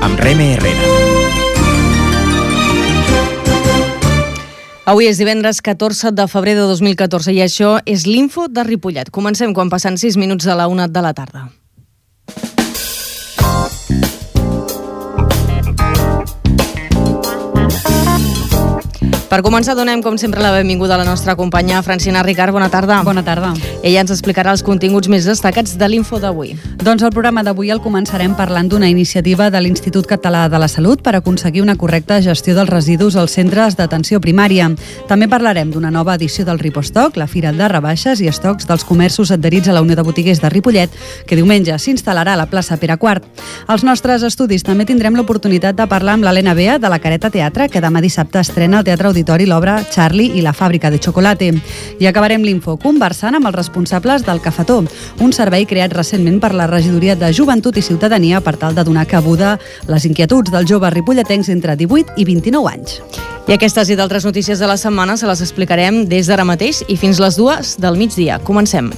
amb Reme Herrera. Avui és divendres 14 de febrer de 2014 i això és l'Info de Ripollet. Comencem quan passen 6 minuts de la 1 de la tarda. Per començar, donem, com sempre, la benvinguda a la nostra companya Francina Ricard. Bona tarda. Bona tarda. Ella ens explicarà els continguts més destacats de l'Info d'avui. Doncs el programa d'avui el començarem parlant d'una iniciativa de l'Institut Català de la Salut per aconseguir una correcta gestió dels residus als centres d'atenció primària. També parlarem d'una nova edició del Ripostoc, la fira de rebaixes i estocs dels comerços adherits a la Unió de Botiguers de Ripollet, que diumenge s'instal·larà a la plaça Pere IV. Als nostres estudis també tindrem l'oportunitat de parlar amb l'Helena Bea de la Careta Teatre, que demà dissabte estrena al Teatre Auditori l'obra Charlie i la fàbrica de xocolate. I acabarem l'Info conversant amb els responsables del Cafetó, un servei creat recentment per la Regidoria de Joventut i Ciutadania per tal de donar cabuda a les inquietuds dels joves ripolletens entre 18 i 29 anys. I aquestes i d'altres notícies de la setmana se les explicarem des d'ara mateix i fins les 2 del migdia. Comencem.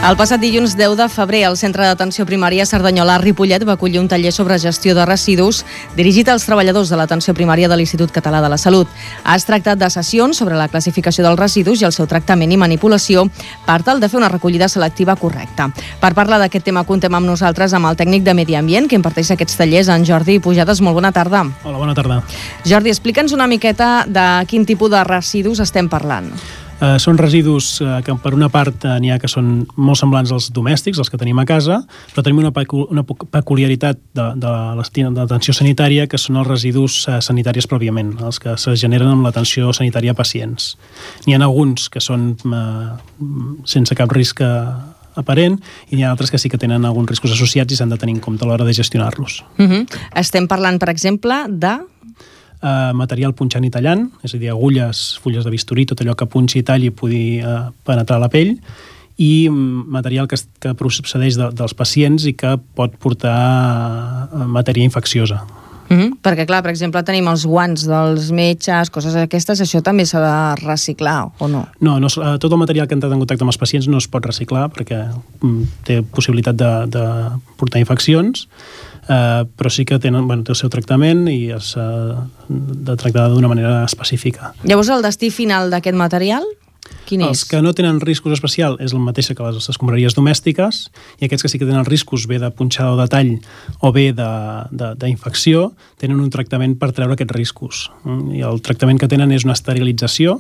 El passat dilluns 10 de febrer, el Centre d'Atenció Primària Cerdanyola Ripollet va acollir un taller sobre gestió de residus dirigit als treballadors de l'atenció primària de l'Institut Català de la Salut. Es tractat de sessions sobre la classificació dels residus i el seu tractament i manipulació per tal de fer una recollida selectiva correcta. Per parlar d'aquest tema contem amb nosaltres amb el tècnic de Medi Ambient que imparteix aquests tallers, en Jordi Pujades. Molt bona tarda. Hola, bona tarda. Jordi, explica'ns una miqueta de quin tipus de residus estem parlant. Són residus que per una part n'hi ha que són molt semblants als domèstics, els que tenim a casa, però tenim una peculiaritat de l'atenció sanitària que són els residus sanitaris pròpiament, els que se generen amb l'atenció sanitària a pacients. N'hi ha alguns que són sense cap risc aparent i n'hi ha altres que sí que tenen alguns riscos associats i s'han de tenir en compte a l'hora de gestionar-los. Estem parlant, per exemple, de material punxant i tallant, és a dir, agulles, fulles de bisturí, tot allò que punxi i talli i pugui penetrar la pell, i material que procedeix dels pacients i que pot portar matèria infecciosa. Perquè, clar, per exemple, tenim els guants dels metges, coses aquestes, això també s'ha de reciclar, o no? No, tot el material que ha entrat en contacte amb els pacients no es pot reciclar perquè té possibilitat de portar infeccions, però sí que té el seu tractament i s'ha de tractar d'una manera específica. Llavors, el destí final d'aquest material, quin és? Els que no tenen riscos especials és el mateix que les escombraries domèstiques, i aquests que sí que tenen riscos bé de punxada o de tall o bé d'infecció tenen un tractament per treure aquests riscos. I el tractament que tenen és una esterilització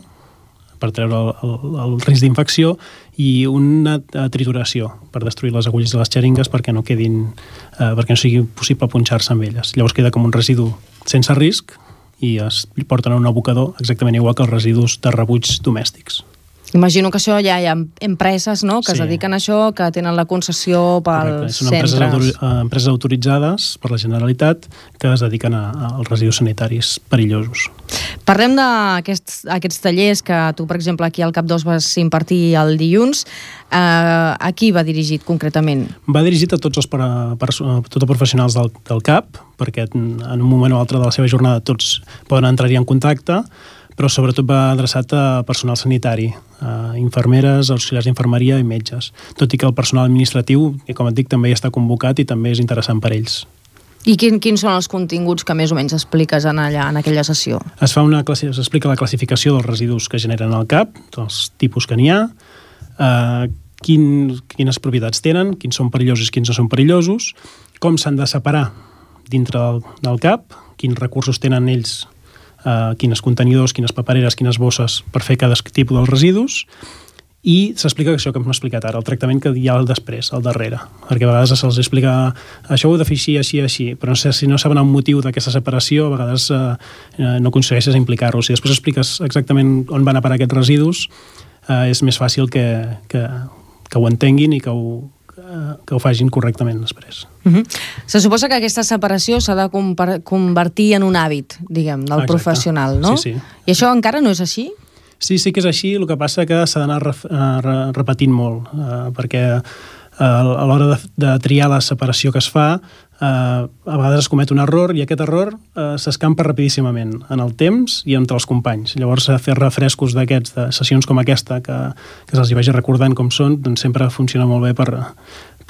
per treure el risc d'infecció i una trituració per destruir les agulles de les xeringues perquè no sigui possible punxar-se amb elles. Llavors queda com un residu sense risc i es porten a un abocador exactament igual que els residus de rebuig domèstics. Imagino que això ja hi ha empreses, no?, que es dediquen a això, que tenen la concessió pels centres. Són empreses autoritzades per la Generalitat que es dediquen als residus sanitaris perillosos. Parlem d'aquests tallers que tu, per exemple, aquí al Cap2 vas impartir el dilluns. A qui va dirigit concretament? Va dirigit a tots els professionals del CAP, perquè en un moment o altre de la seva jornada tots poden entrar-hi en contacte, però sobretot va adreçat a personal sanitari, infermeres, auxiliars d'infermeria i metges, tot i que el personal administratiu, que com et dic, també hi està convocat i també és interessant per ells. I quins són els continguts que més o menys expliques en aquella sessió? S'explica la classificació dels residus que generen al CAP, els tipus que n'hi ha, quines propietats tenen, quins són perillosos i quins no són perillosos, com s'han de separar dintre del CAP, quins recursos tenen ells, quines contenidors, quines papereres, quines bosses per fer cada tipus dels residus, i s'explica això que m'ha explicat ara, el tractament que hi ha al després, al darrere, perquè a vegades se'ls explica això ho he de fer així, però si no saben el motiu d'aquesta separació, a vegades no aconsegueixes implicar-los. Si després expliques exactament on van a parar aquests residus, és més fàcil que ho entenguin i que ho facin correctament després. Se suposa que aquesta separació s'ha de convertir en un hàbit, diguem, del professional, no? Sí. I això encara no és així? Sí que és així, el que passa que s'ha d'anar repetint molt, perquè a l'hora de triar la separació que es fa, a vegades es comet un error i aquest error s'escampa rapidíssimament en el temps i entre els companys. Llavors, fer refrescos d'aquests, de sessions com aquesta, que se'ls hi vagi recordant com són, doncs sempre funciona molt bé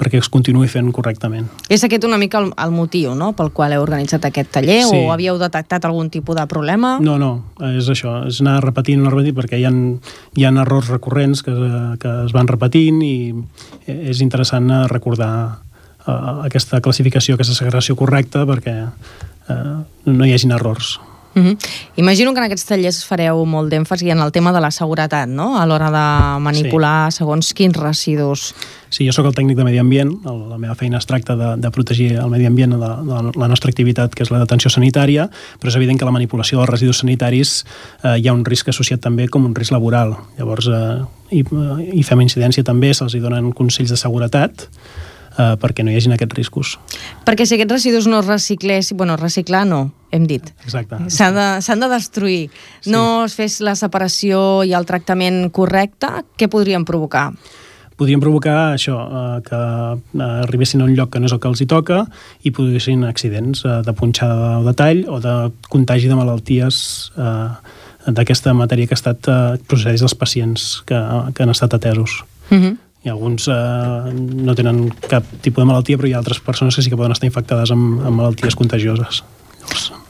perquè es continuï fent correctament. És aquest una mica el motiu, no?, pel qual heu organitzat aquest taller, Sí. o havíeu detectat algun tipus de problema? No, és això, és anar repetint, perquè hi ha errors recurrents que es van repetint i és interessant recordar aquesta classificació, aquesta segregació correcta perquè no hi hagin errors. Imagino que en aquests tallers fareu molt d'èmfasi en el tema de la seguretat, no?, a l'hora de manipular segons quins residus. Sí, jo sóc el tècnic de medi ambient, la meva feina es tracta de protegir el medi ambient, la nostra activitat, que és la detenció sanitària, però és evident que la manipulació dels residus sanitaris hi ha un risc associat també com un risc laboral. Llavors, hi fem incidència també, se'ls donen consells de seguretat, perquè no hi hagin aquests riscos. Perquè si aquests residus no es reciclessin, reciclar no, hem dit. Exacte. S'han de destruir. Sí. No es fes la separació i el tractament correcte, què podrien provocar? Podrien provocar això, que arribessin a un lloc que no és el que els hi toca i produïssin accidents de punxada o de tall o de contagi de malalties d'aquesta matèria que ha estat procedeix dels pacients que han estat atesos. I alguns no tenen cap tipus de malaltia, però hi ha altres persones que sí que poden estar infectades amb malalties contagioses.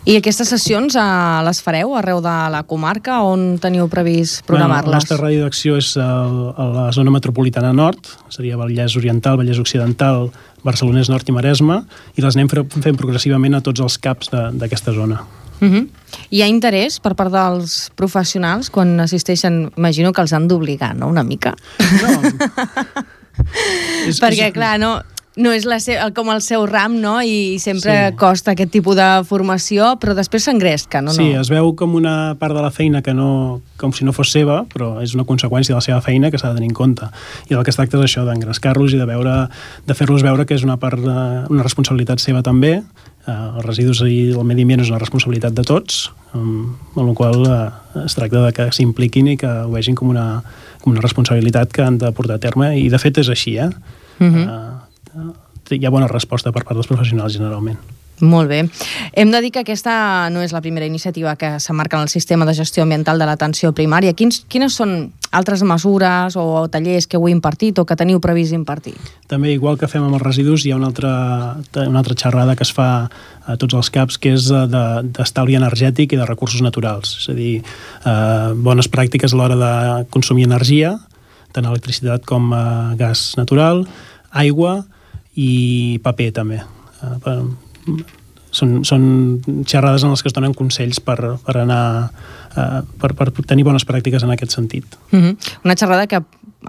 I aquestes sessions les fareu arreu de la comarca? On teniu previst programar-les? La nostra ràdio d'acció és a la zona metropolitana nord, seria Vallès Oriental, Vallès Occidental, Barcelonès Nord i Maresme, i les anem fent progressivament a tots els CAPs d'aquesta zona. Hi ha interès per part dels professionals quan assisteixen? Imagino que els han d'obligar, no?, una mica. No. Perquè, clar, no és com el seu ram, no?, i sempre costa aquest tipus de formació, però després s'engresca, no? Sí, es veu com una part de la feina que com si no fos seva, però és una conseqüència de la seva feina que s'ha de tenir en compte. I el que es tracta és això, d'engrescar-los i de fer-los veure que és una una responsabilitat seva també. Els residus i el medi ambient és una responsabilitat de tots, amb la qual es tracta de que s'impliquin i que ho vegin com una responsabilitat que han de portar a terme, i de fet és així, hi ha bona resposta per part dels professionals generalment. Molt bé. Hem de dir que aquesta no és la primera iniciativa que s'emmarca en el sistema de gestió ambiental de l'atenció primària. Quines són altres mesures o tallers que heu impartit o que teniu previst impartir? També, igual que fem amb els residus, hi ha una altra xerrada que es fa a tots els CAPs, que és d'estalvi energètic i de recursos naturals. És a dir, bones pràctiques a l'hora de consumir energia, tant electricitat com gas natural, aigua i paper també. Són xerrades en les que es donen consells per tenir bones pràctiques en aquest sentit. Una xerrada que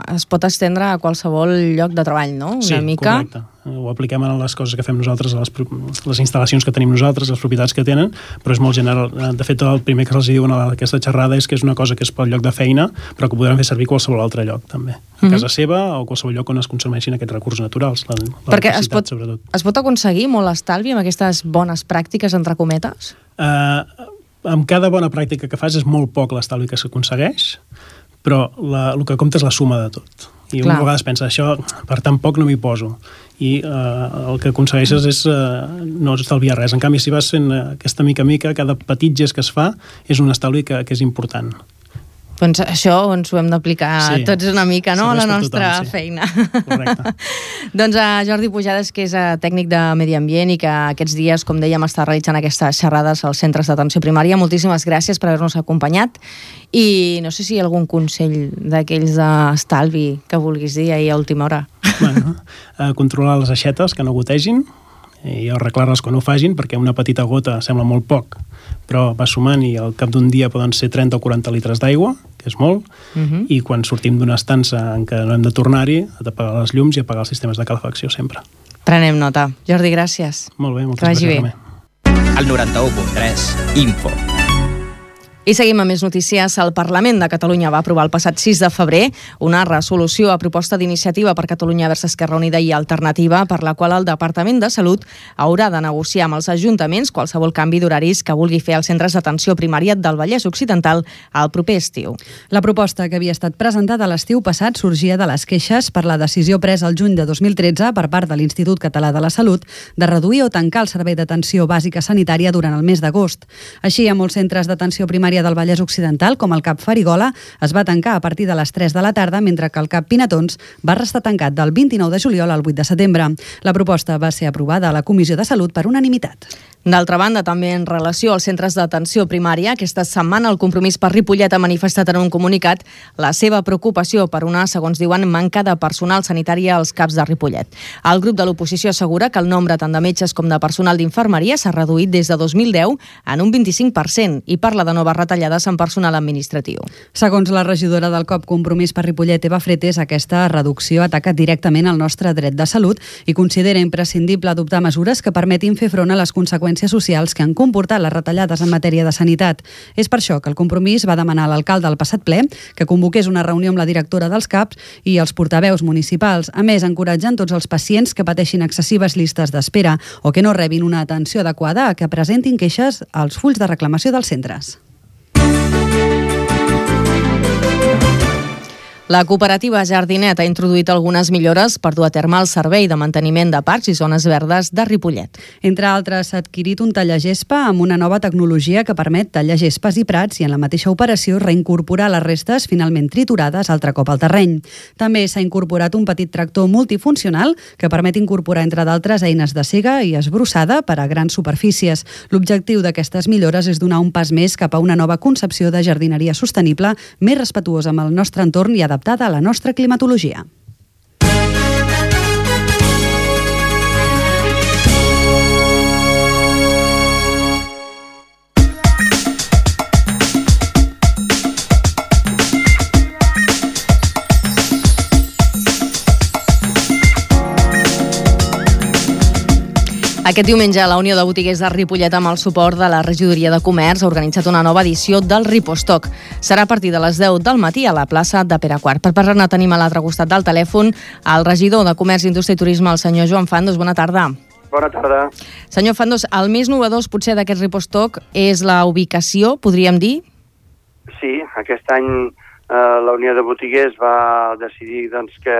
es pot estendre a qualsevol lloc de treball, no? Sí, correcte. Ho apliquem a les coses que fem nosaltres, a les instal·lacions que tenim nosaltres, les propietats que tenen, però és molt general. De fet, el primer que els diuen a aquesta xerrada és que és una cosa que és pel lloc de feina, però que podran fer servir qualsevol altre lloc, també. A casa seva o qualsevol lloc on es consumeixin aquests recursos naturals. Perquè es pot aconseguir molt estalvi amb aquestes bones pràctiques, entre cometes? Amb cada bona pràctica que fas és molt poc l'estalvi que s'aconsegueix, però el que compta és la suma de tot. I una vegada pensa, això per tan poc no m'hi poso. I el que aconsegueixes és no estalviar res. En canvi, si vas fent aquesta mica a mica, cada petit gest que es fa és un estalvi que és important. Doncs això ens ho hem d'aplicar tots una mica, no?, a la nostra feina. Correcte. Doncs Jordi Pujades, que és tècnic de Medi Ambient i que aquests dies, com dèiem, està realitzant aquestes xerrades als centres d'atenció primària. Moltíssimes gràcies per haver-nos acompanyat i no sé si hi ha algun consell d'aquells d'estalvi que vulguis dir ahir a última hora. Controlar les aixetes, que no gotegin, i arreglar-les quan ho facin, perquè una petita gota sembla molt poc, però va sumant i al cap d'un dia poden ser 30 o 40 litres d'aigua, que és molt, i quan sortim d'una estança en què no hem de tornar-hi, a apagar les llums i apagar els sistemes de calefacció sempre. Prenem nota. Jordi, gràcies. Molt bé, moltes gràcies. Al 91.3 Info. I seguim amb més notícies. El Parlament de Catalunya va aprovar el passat 6 de febrer una resolució a proposta d'Iniciativa per Catalunya vers Esquerra Unida i Alternativa per la qual el Departament de Salut haurà de negociar amb els ajuntaments qualsevol canvi d'horaris que vulgui fer als centres d'atenció primària del Vallès Occidental al proper estiu. La proposta, que havia estat presentada a l'estiu passat, sorgia de les queixes per la decisió presa el juny de 2013 per part de l'Institut Català de la Salut de reduir o tancar el servei d'atenció bàsica sanitària durant el mes d'agost. Així, a molts centres d'atenció primària del Vallès Occidental, com el CAP Farigola, es va tancar a partir de les 3 de la tarda, mentre que el CAP Pinatons va restar tancat del 29 de juliol al 8 de setembre. La proposta va ser aprovada a la Comissió de Salut per unanimitat. D'altra banda, també en relació als centres d'atenció primària, aquesta setmana el Compromís per Ripollet ha manifestat en un comunicat la seva preocupació per una, segons diuen, manca de personal sanitari als CAPs de Ripollet. El grup de l'oposició assegura que el nombre tant de metges com de personal d'infermeria s'ha reduït des de 2010 en un 25% i parla de noves retallades en personal administratiu. Segons la regidora del COP Compromís per Ripollet, Eva Fretes, aquesta reducció ataca directament el nostre dret de salut i considera imprescindible adoptar mesures que permetin fer front a les conseqüències socials que han comportat les retallades en matèria de sanitat. És per això que el Compromís va demanar a l'alcalde al passat ple que convoqués una reunió amb la directora dels CAPs i els portaveus municipals. A més, encoratgen tots els pacients que pateixin excessives llistes d'espera o que no rebin una atenció adequada a que presentin queixes als fulls de reclamació dels centres. La cooperativa Jardinet ha introduït algunes millores per dur a terme el servei de manteniment de parcs i zones verdes de Ripollet. Entre altres, s'ha adquirit un tallagespa amb una nova tecnologia que permet tallar gespes i prats i en la mateixa operació reincorporar les restes finalment triturades altre cop al terreny. També s'ha incorporat un petit tractor multifuncional que permet incorporar, entre d'altres, eines de sega i esbrossada per a grans superfícies. L'objectiu d'aquestes millores és donar un pas més cap a una nova concepció de jardineria sostenible, més respetuosa amb el nostre entorn i adaptada a la nostra climatologia. Aquest diumenge, la Unió de Botiguers de Ripollet, amb el suport de la Regidoria de Comerç, ha organitzat una nova edició del Ripostock. Serà a partir de les 10 del matí a la plaça de Pere IV. Per parlar-ne tenim a l'altre costat del telèfon el regidor de Comerç, Indústria i Turisme, el senyor Joan Fandos. Bona tarda. Bona tarda. Senyor Fandos, el més novedós potser d'aquest Ripostock és la ubicació, podríem dir? Sí, aquest any la Unió de Botiguers va decidir que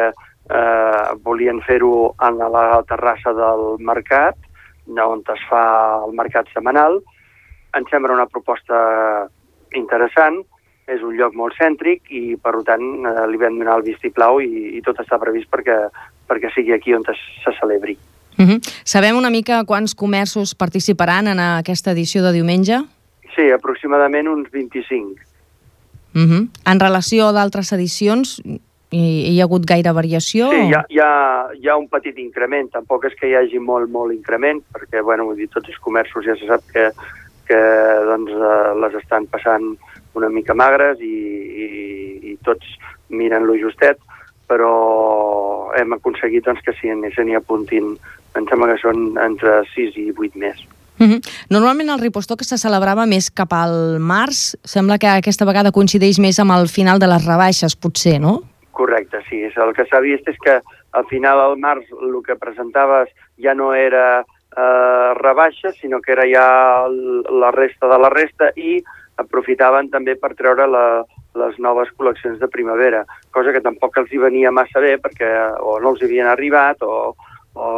volien fer-ho a la terrassa del mercat, on es fa el mercat setmanal. Ens sembla una proposta interessant, és un lloc molt cèntric i, per tant, li vam donar el vistiplau i tot està previst perquè sigui aquí on se celebri. Sabem una mica quants comerços participaran en aquesta edició de diumenge? Sí, aproximadament uns 25. En relació a d'altres edicions, hi ha hagut gaire variació? Sí, hi ha un petit increment, tampoc és que hi hagi molt increment, perquè, tots els comerços ja se sap que les estan passant una mica magres i tots miren lo justet, però hem aconseguit que se n'hi apuntin, em sembla que són entre 6 i 8 més. Normalment el Ripostock se celebrava més cap al març, sembla que aquesta vegada coincideix més amb el final de les rebaixes, potser, no? Correcte, sí. El que s'ha vist és que al final al març el que presentaves ja no era rebaixa, sinó que era ja la resta de la resta i aprofitaven també per treure les noves col·leccions de primavera, cosa que tampoc els hi venia massa bé perquè o no els havien arribat o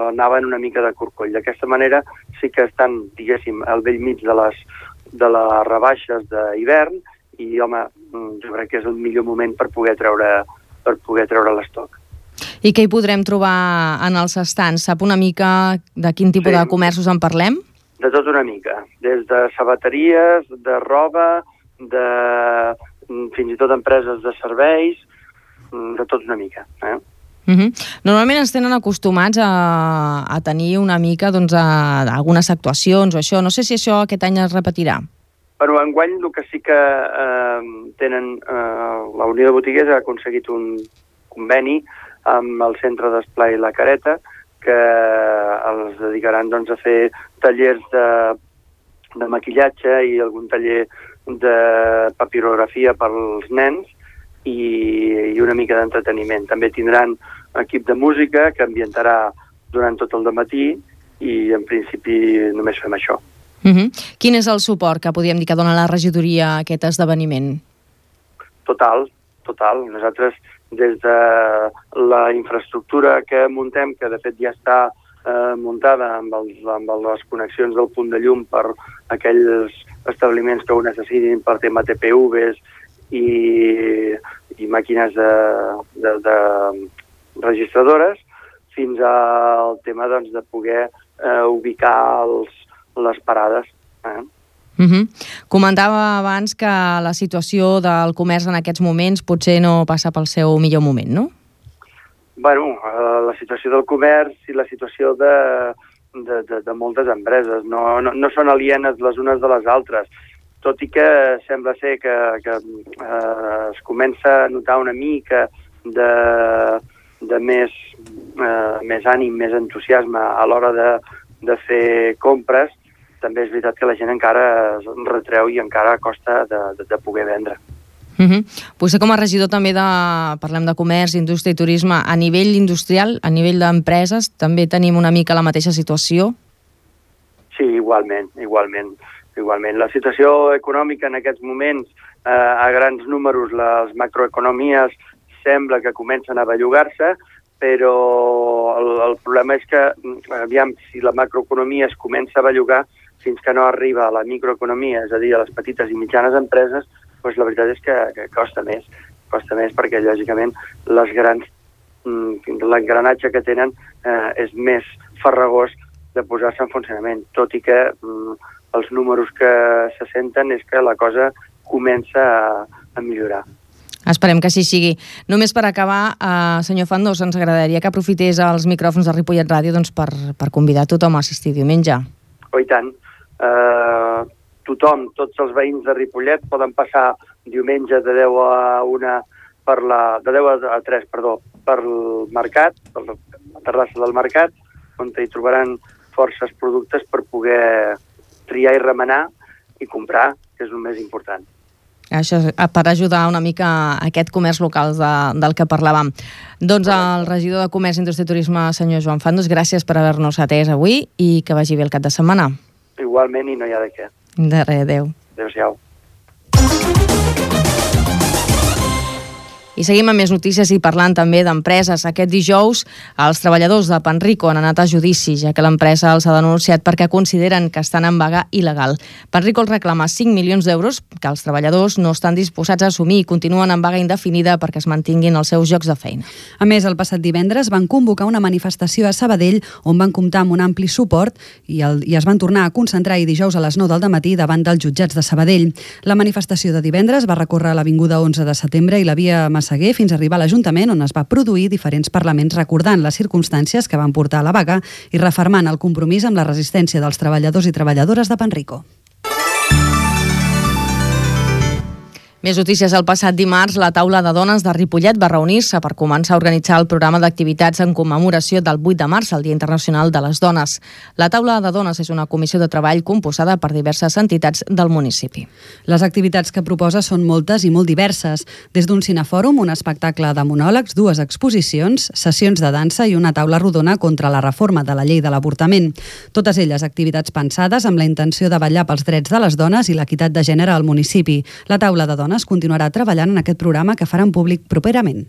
anaven una mica de corcoll. D'aquesta manera sí que estan, diguéssim, al bell mig de les rebaixes d'hivern i, home, jo crec que és el millor moment per poder treure l'estoc. I què hi podrem trobar en els estants? Sap una mica de quin tipus de comerços en parlem? De tot una mica, des de sabateries, de roba, fins i tot empreses de serveis, de tot una mica. Normalment ens tenen acostumats a tenir una mica algunes actuacions o això. No sé si això aquest any es repetirà. Però enguany el que sí que tenen, la Unió de Botiguers ha aconseguit un conveni amb el Centre d'Esplai La Careta que els dedicaran a fer tallers de maquillatge i algun taller de papirografia pels nens i una mica d'entreteniment. També tindran equip de música que ambientarà durant tot el dematí i en principi només fem això. Quin és el suport que podríem dir que dona la regidoria a aquest esdeveniment? Total. Nosaltres, des de la infraestructura que muntem, que de fet ja està muntada amb les connexions del punt de llum per aquells establiments que ho necessitin per tema TPVs i màquines de registradores, fins al tema de poder ubicar les parades. Comentava abans que la situació del comerç en aquests moments potser no passa pel seu millor moment, no? Bueno, la situació del comerç i la situació de moltes empreses no són alienes les unes de les altres, tot i que sembla ser que es comença a notar una mica de més ànim, més entusiasme a l'hora de fer compres. També és veritat que la gent encara es retreu i encara costa de poder vendre. Potser com a regidor també parlem de comerç, indústria i turisme, a nivell industrial, a nivell d'empreses, també tenim una mica la mateixa situació? Sí, igualment. La situació econòmica en aquests moments, a grans números, les macroeconomies sembla que comencen a bellugar-se, però el problema és que, aviam, si la macroeconomia es comença a bellugar, fins que no arriba a la microeconomia, és a dir, a les petites i mitjanes empreses, doncs la veritat és que costa més perquè, lògicament, l'engranatge que tenen és més farragós de posar-se en funcionament, tot i que els números que se senten és que la cosa comença a millorar. Esperem que així sigui. Només per acabar, senyor Fandos, ens agradaria que aprofités els micròfons de Ripollet Ràdio per convidar tothom a assistir diumenge. Oh, i tant. Tothom, tots els veïns de Ripollet poden passar diumenge de 10 a 1 de 10 a 3, per el mercat, per la terrassa del mercat, on hi trobaran forces productes per poder triar i remenar i comprar, que és el més important. Això per ajudar una mica a aquest comerç local del que parlàvem. Doncs el regidor de Comerç, Indústria i Turisme, senyor Joan Fandos, gràcies per haver-nos atès avui i que vagi bé el cap de setmana. Igualment, i no hi ha de què. De res, adéu. Adéu-siau. I seguim amb més notícies i parlant també d'empreses. Aquest dijous els treballadors de Panrico han anat a judici, ja que l'empresa els ha denunciat perquè consideren que estan en vaga il·legal. Panrico els reclama 5 milions d'euros que els treballadors no estan disposats a assumir i continuen en vaga indefinida perquè es mantinguin els seus llocs de feina. A més, el passat divendres van convocar una manifestació a Sabadell on van comptar amb un ampli suport i es van tornar a concentrar dijous a les 9 del matí davant dels jutjats de Sabadell. La manifestació de divendres va recórrer l'avinguda 11 de setembre i la via Massaguer fins a arribar a l'Ajuntament, on es va produir diferents parlaments recordant les circumstàncies que van portar a la vaga i refermant el compromís amb la resistència dels treballadors i treballadores de Panrico. Més notícies. El passat dimarts, la taula de dones de Ripollet va reunir-se per començar a organitzar el programa d'activitats en commemoració del 8 de març, el Dia Internacional de les Dones. La taula de dones és una comissió de treball composada per diverses entitats del municipi. Les activitats que proposa són moltes i molt diverses, des d'un cinefòrum, un espectacle de monòlegs, 2 exposicions, sessions de dansa i una taula rodona contra la reforma de la llei de l'avortament. Totes elles activitats pensades amb la intenció de vetllar pels drets de les dones i l'equitat de gènere al municipi. La taula de dones continuarà treballant en aquest programa que faran públic properament.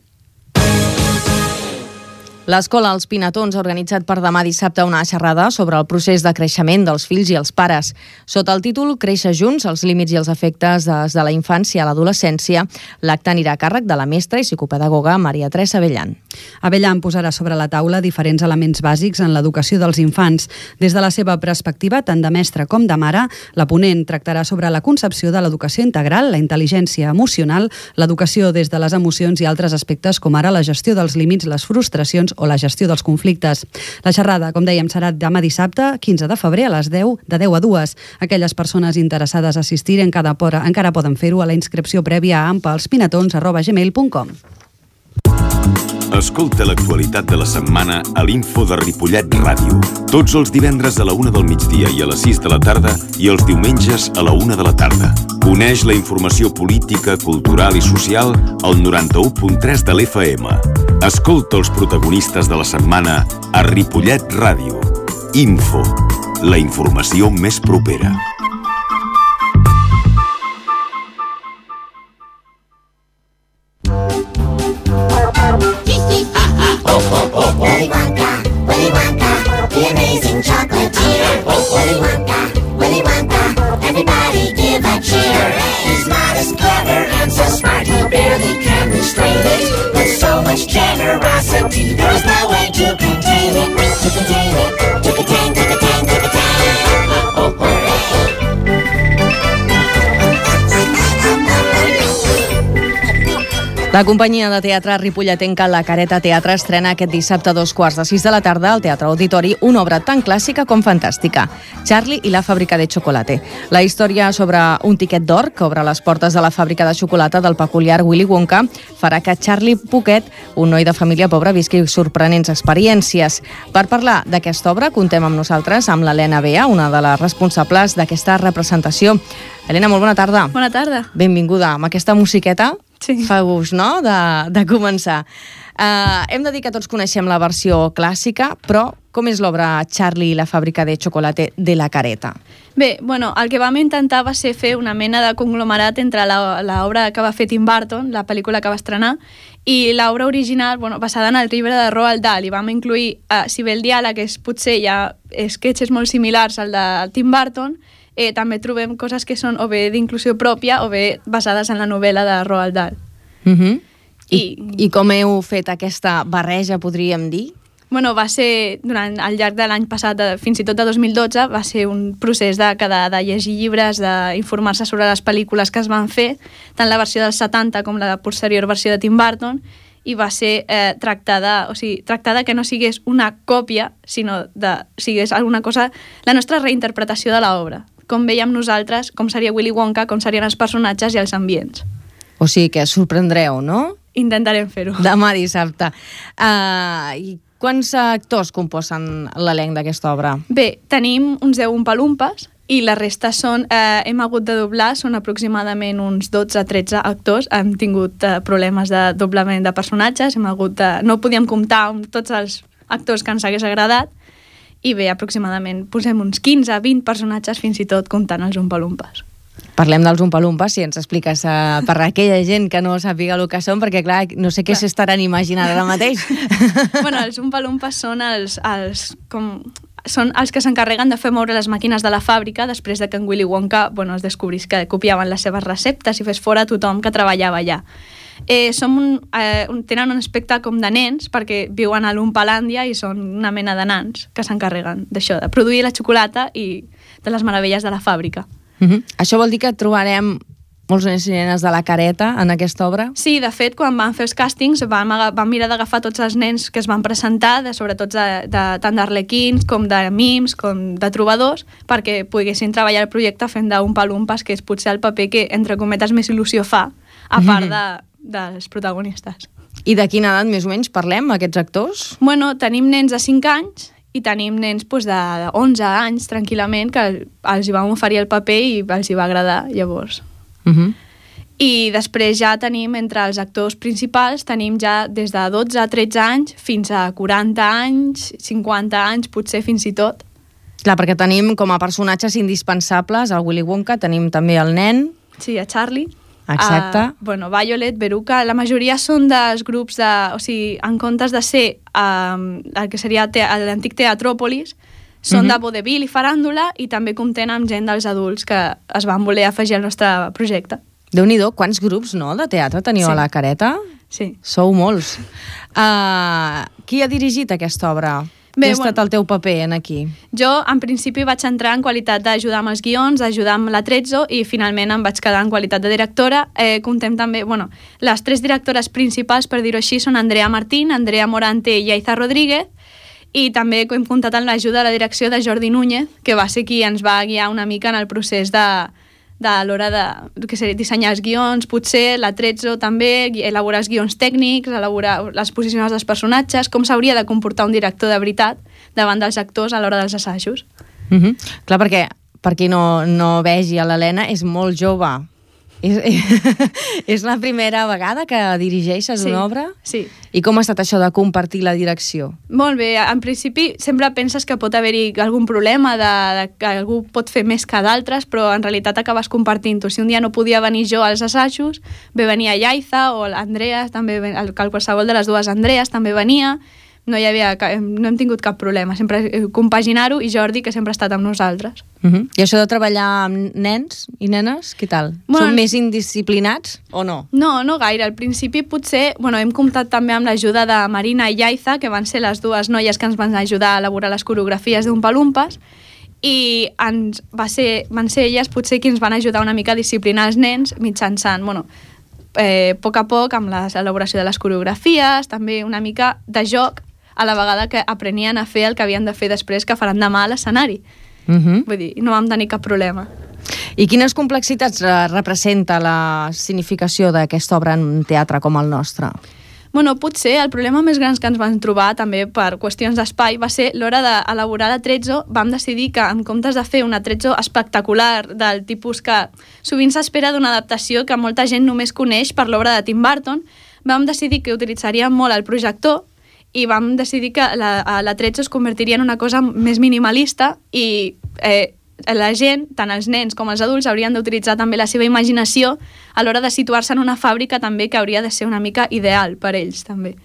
L'Escola Els Pinatons ha organitzat per demà dissabte una xerrada sobre el procés de creixement dels fills i els pares. Sota el títol Créixer junts, els límits i els efectes des de la infància a l'adolescència, l'acte anirà a càrrec de la mestra i psicopedagoga Maria Teresa Abellan. Abellan posarà sobre la taula diferents elements bàsics en l'educació dels infants. Des de la seva perspectiva, tant de mestra com de mare, la ponent tractarà sobre la concepció de l'educació integral, la intel·ligència emocional, l'educació des de les emocions i altres aspectes com ara la gestió dels límits, les frustracions o la gestió dels conflictes. La xerrada, com dèiem, serà demà dissabte, 15 de febrer, a les 10, de 10 a 2. Aquelles persones interessades a assistir encara poden fer-ho a la inscripció prèvia a ampalspinatons@gmail.com. Escolta l'actualitat de la setmana a l'Info de Ripollet Ràdio. Tots els divendres a la 1 del migdia i a les 6 de la tarda i els diumenges a la 1 de la tarda. Coneix la informació política, cultural i social al 91.3 de l'FM. Escolta els protagonistes de la setmana a Ripollet Ràdio. Info, la informació més propera. Willy Wonka, the amazing chocolatier. Willy Wonka, everybody give a cheer. He's not as clever and so smart, he barely can restrain it. With so much generosity, there's no way to contain it. To contain it, to contain, to contain, to contain. La companyia de teatre ripolletenca La Careta Teatre estrena aquest dissabte a 2:15 de la tarda al Teatre Auditori una obra tan clàssica com fantàstica, Charlie i la fàbrica de xocolate. La història sobre un tiquet d'or que obre les portes de la fàbrica de xocolata del peculiar Willy Wonka farà que Charlie Poquet, un noi de família pobra, visqui sorprenents experiències. Per parlar d'aquesta obra contem amb nosaltres amb l'Helena Bea, una de les responsables d'aquesta representació. Helena, molt bona tarda. Bona tarda. Benvinguda. Amb aquesta musiqueta sí. Fa gust, no?, de començar. Hem de dir que tots coneixem la versió clàssica, però com és l'obra Charlie i la fàbrica de xocolate de La Careta? Bé, bueno, el que vam intentar va ser fer una mena de conglomerat entre l'obra que va fer Tim Burton, la pel·lícula que va estrenar, i l'obra original, bueno, basada en el llibre de Roald Dahl, i vam incluir, si bé el diàleg potser hi ha sketches molt similars al de Tim Burton, també trobem coses que són o bé d'inclusió pròpia o bé basades en la novel·la de Roald Dahl. I com heu fet aquesta barreja, podríem dir? Bueno, va ser, al llarg de l'any passat, fins i tot de 2012, va ser un procés de llegir llibres, d'informar-se sobre les pel·lícules que es van fer, tant la versió dels 70 com la posterior versió de Tim Burton, i va ser tractada que no sigués una còpia, sinó que sigués alguna cosa, la nostra reinterpretació de l'obra, com veiem nosaltres, com seria Willy Wonka, com serien els personatges i els ambients. O sigui que sorprendreu, no? Intentarem fer-ho. Demà dissabte. I quants actors composen l'elenc d'aquesta obra? Bé, tenim uns 10 umpalumpes i la resta són, hem hagut de doblar, són aproximadament uns 12-13 actors, hem tingut problemes de doblament de personatges, no podíem comptar amb tots els actors que ens hagués agradat, i bé, aproximadament posem uns 15-20 personatges fins i tot comptant els umpalumpes. Parlem dels umpalumpes, si ens expliques per aquella gent que no sàpiga el que són, perquè clar, no sé què s'estaran imaginant ara mateix. Bueno, els umpalumpes són són els que s'encarreguen de fer moure les màquines de la fàbrica després de que en Willy Wonka es descobrís que copiaven les seves receptes i fes fora tothom que treballava allà. Tenen un aspecte com de nens perquè viuen a l'Umpalàndia i són una mena de nans que s'encarreguen d'això, de produir la xocolata i de les meravelles de la fàbrica. Això vol dir que trobarem molts nens i nenes de La Careta en aquesta obra? Sí, de fet, quan vam fer els càstings vam mirar d'agafar tots els nens que es van presentar, sobretot tant d'arlequins com de mims, com de trobadors, perquè poguessin treballar el projecte fent d'umpalumpes, que és potser el paper que, entre cometes, més il·lusió fa, a part dels protagonistes. I de quina edat més o menys parlem, aquests actors? Bueno, tenim nens de 5 anys i tenim nens de 11 anys, tranquil·lament, que els hi vam oferir el paper i els hi va agradar, llavors. I després ja tenim, entre els actors principals, tenim ja des de 12 a 13 anys fins a 40 anys, 50 anys, potser fins i tot. Clar, perquè tenim com a personatges indispensables el Willy Wonka, tenim també el nen. Sí, a Charlie. Exacte. Violet, Veruca, la majoria són dels grups o sigui, en comptes de ser el que seria l'antic Teatròpolis, són de vodevil i faràndula i també compten amb gent dels adults que es van voler afegir al nostre projecte. Déu-n'hi-do, quants grups de teatre teniu a La Careta? Sí. Sou molts. Qui ha dirigit aquesta obra? Què ha estat el teu paper aquí? Jo, en principi, vaig entrar en qualitat d'ajudar amb els guions, d'ajudar amb l'Atrezzo i finalment em vaig quedar en qualitat de directora. Comptem també, les 3 directores principals, per dir-ho així, són Andrea Martín, Andrea Morante i Aiza Rodríguez, i també hem comptat amb l'ajuda de la direcció de Jordi Núñez, que va ser qui ens va guiar una mica en el procés de de l'hora de dissenyar els guions, potser la Trezzo també, elaborar els guions tècnics, elaborar les posicions dels personatges, com s'hauria de comportar un director de veritat davant dels actors a l'hora dels assajos. Clar, perquè per qui no vegi a l'Helena, és molt jove. És la primera vegada que dirigeixes una obra? Sí. I com ha estat això de compartir la direcció? Molt bé, en principi sempre penses que pot haver-hi algun problema, que algú pot fer més que d'altres, però en realitat acabes compartint-ho. Si un dia no podia venir jo als assajos, venia Yaiza o l'Andrea, també qualsevol de les dues Andrees també venia. No hem tingut cap problema, sempre compaginar-ho, i Jordi, que sempre ha estat amb nosaltres. I això de treballar amb nens i nenes, què tal? Són més indisciplinats o no? No gaire. Al principi potser hem comptat també amb l'ajuda de Marina i Yaiza, que van ser les dues noies que ens van ajudar a elaborar les coreografies d'Oompa Loompas, i van ser elles potser qui ens van ajudar una mica a disciplinar els nens mitjançant, a poc amb l'elaboració de les coreografies, també una mica de joc, a la vegada que aprenien a fer el que havien de fer després, que faran demà a l'escenari. Vull dir, no vam tenir cap problema. I quines complexitats representa la significació d'aquesta obra en un teatre com el nostre? Potser el problema més gran que ens vam trobar, també per qüestions d'espai, va ser l'hora d'elaborar la Trezzo. Vam decidir que, en comptes de fer una Trezzo espectacular, del tipus que sovint s'espera d'una adaptació que molta gent només coneix per l'obra de Tim Burton, vam decidir que utilitzaríem molt el projector, i vam decidir que la Trezzo es convertiria en una cosa més minimalista, i la gent, tant els nens com els adults, haurien d'utilitzar també la seva imaginació a l'hora de situar-se en una fàbrica també, que hauria de ser una mica ideal per ells també.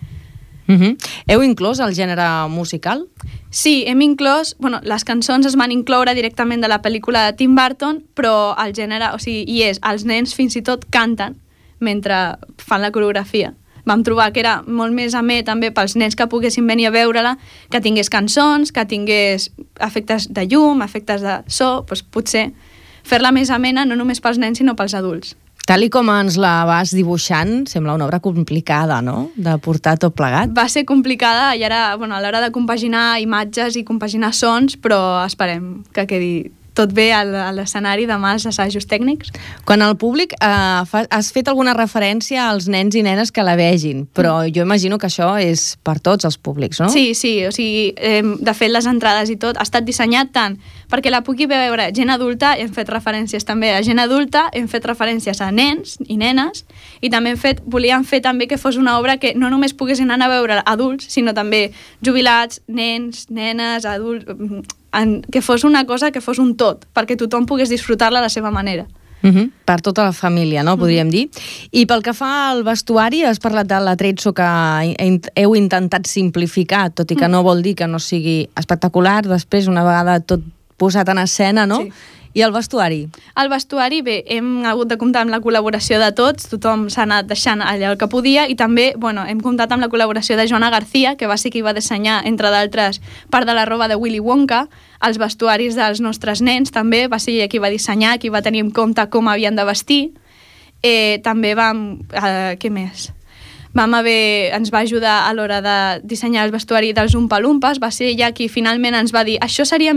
Heu inclòs el gènere musical? Sí, hem inclòs, les cançons es van incloure directament de la pel·lícula de Tim Burton, però el gènere, els nens fins i tot canten mentre fan la coreografia. Vam trobar que era molt més amè també pels nens que poguessin venir a veure-la, que tingués cançons, que tingués efectes de llum, efectes de so, potser fer-la més amena no només pels nens sinó pels adults. Tal i com ens la vas dibuixant, sembla una obra complicada, no?, de portar tot plegat. Va ser complicada i ara, a l'hora de compaginar imatges i compaginar sons, però esperem que quedi tot bé a l'escenari demà als assajos tècnics. Quan el públic has fet alguna referència als nens i nenes que la vegin, però jo imagino que això és per tots els públics, no? Sí, de fet les entrades i tot ha estat dissenyat tant perquè la pugui veure gent adulta, hem fet referències també a gent adulta, hem fet referències a nens i nenes, i també volíem fer també que fos una obra que no només poguessin anar a veure adults, sinó també jubilats, nens, nenes, adults, que fos una cosa, que fos un tot, perquè tothom pogués disfrutar-la a la seva manera. Per tota la família, no?, podríem dir. I pel que fa al vestuari, has parlat de la Trezzo, que heu intentat simplificar, tot i que no vol dir que no sigui espectacular, després, una vegada tot posat en escena, no? Sí. I el vestuari? El vestuari, bé, hem hagut de comptar amb la col·laboració de tots, tothom s'ha anat deixant allà el que podia, i també, hem comptat amb la col·laboració de Joana García, que va ser qui va dissenyar, entre d'altres, part de la roba de Willy Wonka, els vestuaris dels nostres nens, també, va ser qui va dissenyar, qui va tenir en compte com havien de vestir. També què més? Ens va ajudar a l'hora de dissenyar el vestuari dels Oompa Loompas, va ser ella qui finalment ens va dir això seria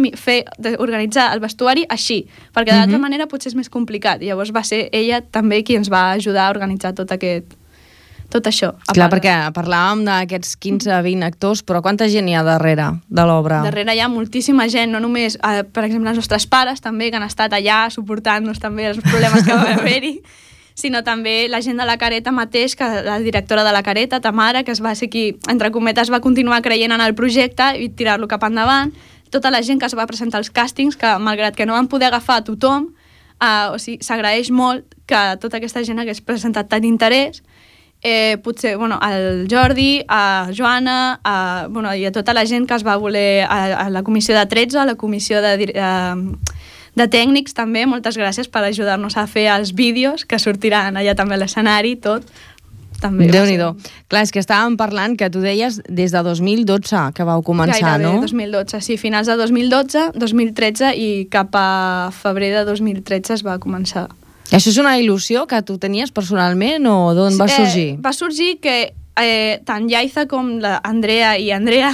organitzar el vestuari així, perquè d'altra manera potser és més complicat. Llavors va ser ella també qui ens va ajudar a organitzar tot això. Clar, perquè parlàvem d'aquests 15-20 actors, però quanta gent hi ha darrere de l'obra? Darrere hi ha moltíssima gent, no només, per exemple, els nostres pares també, que han estat allà suportant-nos també els problemes que va haver-hi, sinó també la gent de la Careta mateix, que la directora de la Careta, Tamara, que va ser qui, entre cometes, va continuar creient en el projecte i tirar-lo cap endavant. Tota la gent que es va presentar als càstings, que malgrat que no van poder agafar a tothom, s'agraeix molt que tota aquesta gent hagués presentat tant d'interès. Potser, al Jordi, a Joana, i a tota la gent que es va voler, a la comissió de Trezzo, a la comissió de tècnics també, moltes gràcies per ajudar-nos a fer els vídeos que sortiran allà també a l'escenari, tot. Déu-n'hi-do. Clar, és que estàvem parlant que tu deies des de 2012 que vau començar, no? Gairebé 2012, sí, finals de 2012, 2013 i cap a febrer de 2013 es va començar. Això és una il·lusió que tu tenies personalment o d'on va sorgir? Va sorgir que tant Yaiza com l'Andrea i Andrea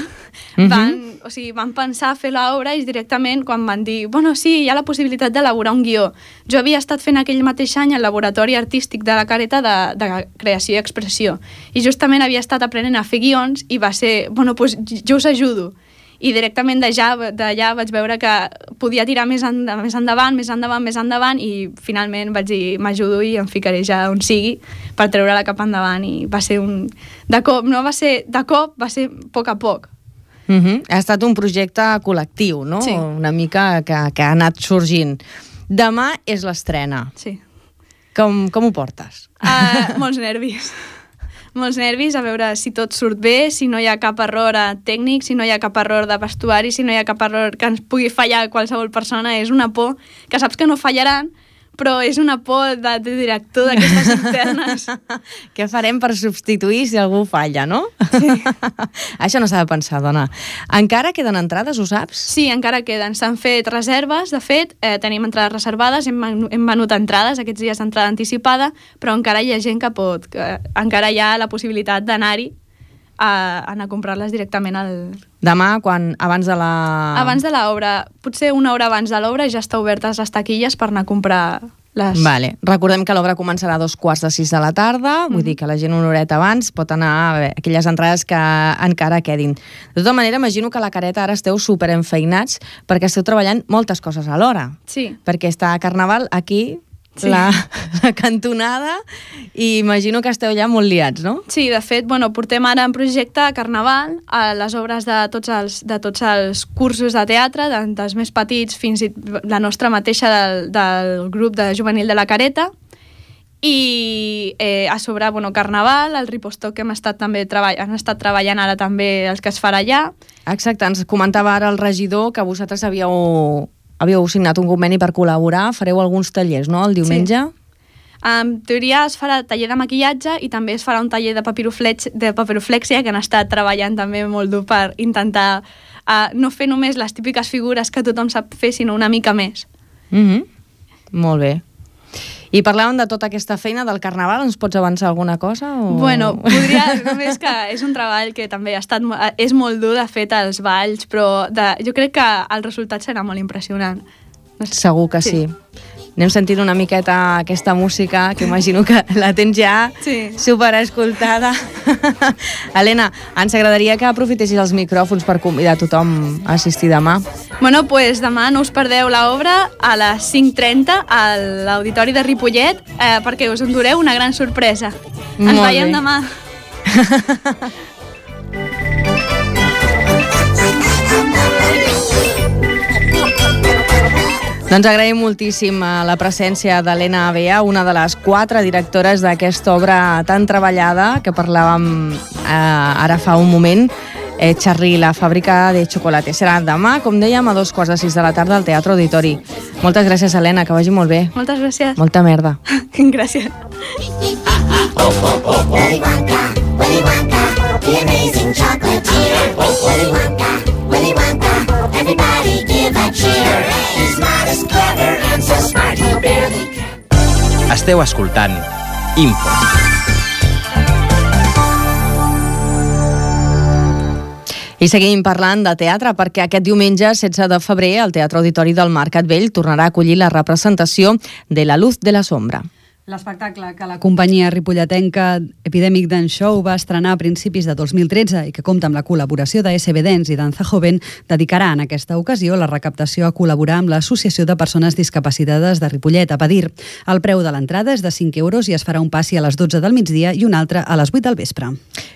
van van pensar fer l'obra i directament quan van dir, bueno, sí, hi ha la possibilitat d'elaborar un guió. Jo havia estat fent aquell mateix any al laboratori artístic de la Careta de creació i expressió i justament havia estat aprenent a fer guions i va ser, bueno, doncs jo us ajudo. I directament d'allà vaig veure que podia tirar més endavant i finalment vaig dir m'ajudo i em ficaré ja on sigui per treure-la cap endavant i va ser de cop, va ser a poc a poc. Ha estat un projecte col·lectiu, no? Sí. Una mica que ha anat sorgint. Demà és l'estrena. Sí. Com ho portes? Molts nervis. Molts nervis a veure si tot surt bé, si no hi ha cap error tècnic, si no hi ha cap error de vestuari, si no hi ha cap error que ens pugui fallar qualsevol persona. És una por que saps que no fallaran, però és una por de director d'aquestes internes. Què farem per substituir si algú falla, no? Sí. Això no s'ha de pensar, dona. Encara queden entrades, ho saps? Sí, encara queden. S'han fet reserves, de fet, tenim entrades reservades, hem venut entrades, aquests dies d'entrada anticipada, però encara hi ha gent que encara hi ha la possibilitat d'anar-hi a anar a comprar-les directament al... Demà, abans de la... Abans de l'obra, potser una hora abans de l'obra ja està obertes les taquilles per anar a comprar les... Vale. Recordem que l'obra començarà a 5:45 de la tarda, vull dir que la gent una horeta abans pot anar a aquelles entrades que encara quedin. De tota manera, imagino que a la Careta ara esteu superenfeinats perquè esteu treballant moltes coses alhora. Sí. Perquè està Carnaval aquí... Sí. La cantonada i imagino que esteu ja molt liats, no? Sí, de fet, portem ara en projecte Carnaval, a les obres de tots els cursos de teatre, dels més petits fins i la nostra mateixa del grup de juvenil de la Careta, i a sobre, Carnaval, el Ripostoc que han estat treballant ara també els que es farà allà. Exacte, ens comentava ara el regidor que vosaltres havíeu signat un conveni per col·laborar, fareu alguns tallers, no?, el diumenge? Sí. En teoria es farà taller de maquillatge i també es farà un taller de papiroflèxia que han estat treballant també molt dur per intentar no fer només les típiques figures que tothom sap fer, sinó una mica més. Molt bé. I parlàvem de tota aquesta feina del Carnaval, ens pots avançar alguna cosa? O... Podria, només que és un treball que també és molt dur, de fet, els balls, però jo crec que el resultat serà molt impressionant. Segur que sí. Anem sentint una miqueta aquesta música, que imagino que la tens ja superescoltada. Helena, ens agradaria que aprofitessis els micròfons per convidar tothom a assistir demà. Doncs demà no us perdeu l'obra a les 5:30 a l'Auditori de Ripollet perquè us endureu una gran sorpresa. Ens veiem demà. Doncs agraïm moltíssim la presència d'Helena Bea, una de les 4 directores d'aquesta obra tan treballada que parlàvem ara fa un moment, Charlie, la fàbrica de xocolate. Serà demà, com dèiem, a 5:45 de la tarda al Teatre Auditori. Moltes gràcies, Helena, que vagi molt bé. Moltes gràcies. Molta merda. Gràcies. Willy Wonka, Willy Wonka, the amazing chocolatier. Willy Wonka, everybody give a cheer. He's smart as clever and so smart he barely can. Esteu escoltant Info. I seguim parlant de teatre perquè aquest diumenge, 16 de febrer, el Teatre Auditori del Mercat Vell tornarà a acollir la representació de La luz de la sombra. L'espectacle que la companyia ripolletenca Epidemic Dance Show va estrenar a principis de 2013 i que compta amb la col·laboració de SB Dance i Danza Joven dedicarà en aquesta ocasió la recaptació a col·laborar amb l'Associació de Persones Discapacitades de Ripollet, APADIR. El preu de l'entrada és de 5 euros i es farà un passi a les 12 del migdia i un altre a les 8 del vespre.